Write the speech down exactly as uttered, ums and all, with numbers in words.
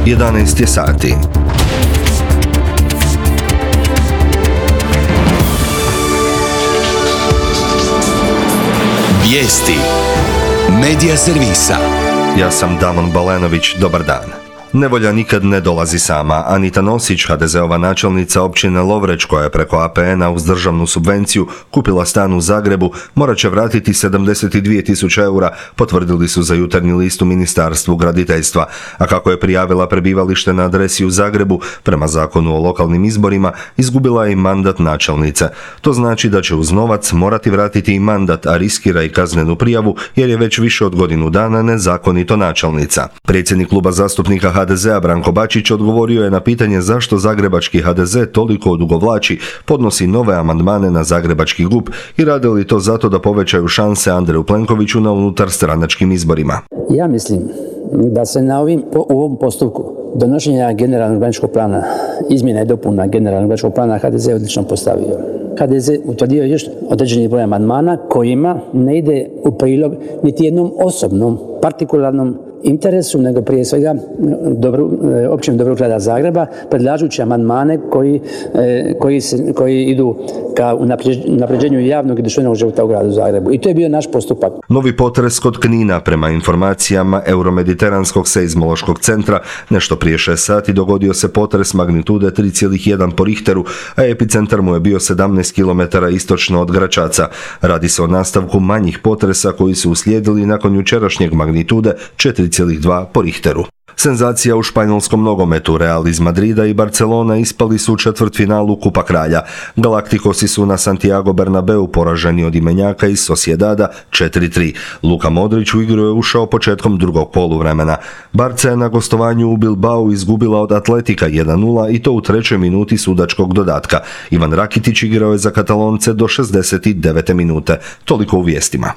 jedanaest je sati. Vijesti Medija servisa. Ja sam Damon Balenović, dobar dan. Nevolja nikad ne dolazi sama. Anita Nosić, ha de zeova načelnica općine Lovreć, koja je preko A P N-a uz državnu subvenciju kupila stan u Zagrebu, morat će vratiti sedamdeset dvije tisuće eura, potvrdili su za Jutarnji list u Ministarstvu graditeljstva. A kako je prijavila prebivalište na adresi u Zagrebu, prema zakonu o lokalnim izborima, izgubila je i mandat načelnice. To znači da će uz novac morati vratiti i mandat, a riskira i kaznenu prijavu jer je već više od godinu dana nezakonito načelnica. Predsjednik kluba zastupnika ha de zea Branko Bačić odgovorio je na pitanje zašto zagrebački ha de ze toliko odugovlači, podnosi nove amandmane na zagrebački G U P i rade li to zato da povećaju šanse Andreju Plenkoviću na unutar stranačkim izborima. Ja mislim da se na ovim, u ovom postupku donošenja generalnog urbanističkog plana, izmjena i dopuna generalnog urbanističkog plana ha de ze odlično postavio. ha de ze utvrdio još određeni broj amandmana kojima ne ide u prilog niti jednom osobnom, partikularnom interesu, nego prije svega dobro, općem dobrog grada Zagreba, predlažući amandmane koji, koji, se, koji idu ka unapređenju javnog i društvenog života u gradu Zagrebu. I to je bio naš postupak. Novi potres kod Knina, prema informacijama Euromediteranskog seizmološkog centra, nešto prije šest sati dogodio se potres magnitude tri zarez jedan po Richteru, a epicentar mu je bio sedamnaest kilometara istočno od Gračaca. Radi se o nastavku manjih potresa koji su uslijedili nakon jučerašnjeg magnitude četiri zarez dva po Richteru. Senzacija u španjolskom nogometu. Real iz Madrida i Barcelona ispali su u četvrtfinalu Kupa kralja. Galacticosi su na Santiago Bernabeu poraženi od imenjaka iz Sociedada četiri tri. Luka Modrić u igru je ušao početkom drugog poluvremena. Barca je na gostovanju u Bilbao izgubila od Atletika jedan nula i to u trećoj minuti sudačkog dodatka. Ivan Rakitić igrao je za Katalonce do šezdeset devete minute. Toliko u vijestima.